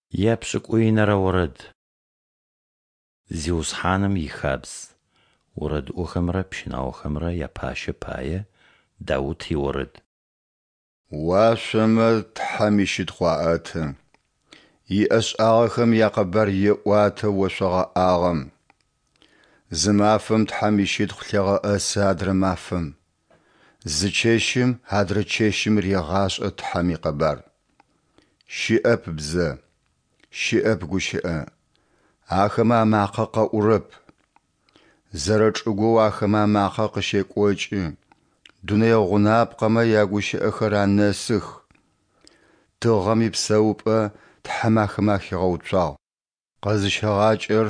Епшӏыкӏуинэрэ орэд. Зиусхьаным ихабз. Орэдыӏохэмрэ пщынаохэмрэ япащэ пае Даут иорэд. Уашъомэ Тхьэм ищытхъу аӏэты, иӏэшӏагъэхэм якъэбар еӏуатэ ошъо гъэӏагъэм. Зы мафэм Тхьэм ищытхъу лъегъэӏэсы адрэ мафэм, зы чэщым адрэ чэщым регъашӏэ Тхьэм икъэбар. Щыӏэп бзэ, щыӏэп гущыӏэ, ахэмэ амакъэ къэӏурэп. Зэрэчӏыгоу ахэмэ амакъэ къыщекӏокӏы, дунэе гъунапкъэмэ ягущыӏэхэр анэсых. Тыгъэм ипсэупӏэ Тхьэм ахэмэ ахигъэуцуагъ. Къэзыщэгъакӏэр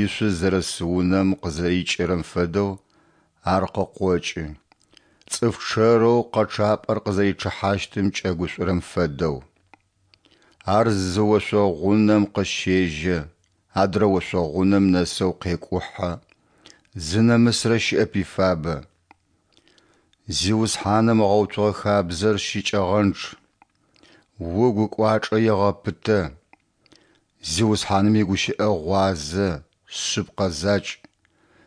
ишъуз зэрыс унэм къызэрикӏырэм фэдэу ар къыкъокӏы, цӏыф чъэрэу къэчъапӏэр къызэричъыхьащтым кӏэгушӏурэм фэдэу. Ар зы ошъо гъунэм къыщежьэ, адрэ ошъо гъунэм нэсэу къекӏухьэ, зынэмысрэ щыӏэп ифабэ. Зиусхьаным ыгъэуцугъэ хабзэр щыкӏэгъэнчъ, угу кӏуачӏэ егъэпытэ. Зиусхьаным игущыӏэ гъуазэ, шъыпкъэ закӏ,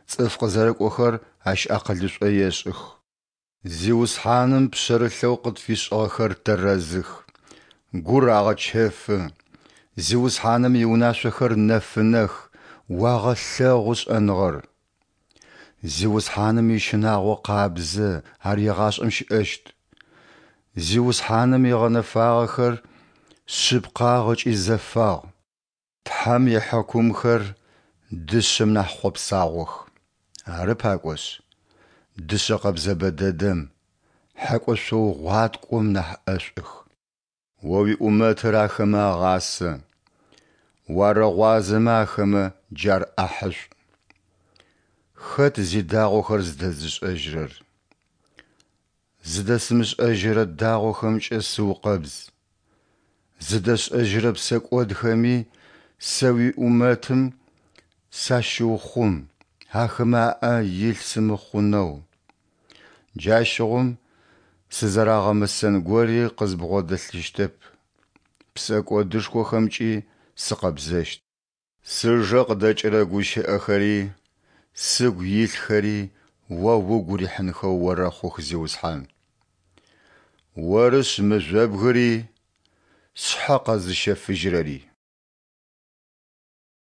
цӏыф къызэрыкӏохэр ащ акъылышӏо ешӏых. Зиусхьаным пшъэрылъэу къытфишӏыгъэхэр тэрэзых, гур агъэчэфы. Зиусхьаным иунашъохэр нэфынэх, уагъэлъэгъу шӏэныгъэр. Зиусхьаным ищынагъо къабзэ, ар егъашӏэм щыӏэщт. Зиусхьаным ыгъэнэфагъэхэр шъыпкъагъ ыкӏи зэфагъ. Тхьэм ихьыкумхэр дышъэм нахь хъопсагъох, ары пакӏошъ, дышъэ къэбзэбэ дэдэм, хьэкӏошъоу гъуаткӏом нахь ӏэшӏух. О уиӏумэтыр ахэмэ агъасэ, уарэгъуазэмэ ахэмэ джар ӏахьышӏу. Хэт зидагъохэр зыдэзышӏэжьырэр? Зыдэсымышӏэжьырэ дагъохэмкӏэ сыукъэбз. Зыдэсшӏэжьырэ псэкӏодхэми сэ уиӏумэтым сащыухъум, ахэмэ аӏэ илъ сымыхъунэу. Джащыгъум сызэрагъэмысэн гори къызбгъодэлъыщтэп, псэкӏодышхохэмкӏи сыкъэбзэщт. Сыжэ къыдэкӏырэ гущыӏэхэри, сыгу илъхэри О угу рихьынхэу орэхъух, Зиусхьан. Орышъ мыжъобгыри, сшъхьэ къэзыщэфыжьырэри.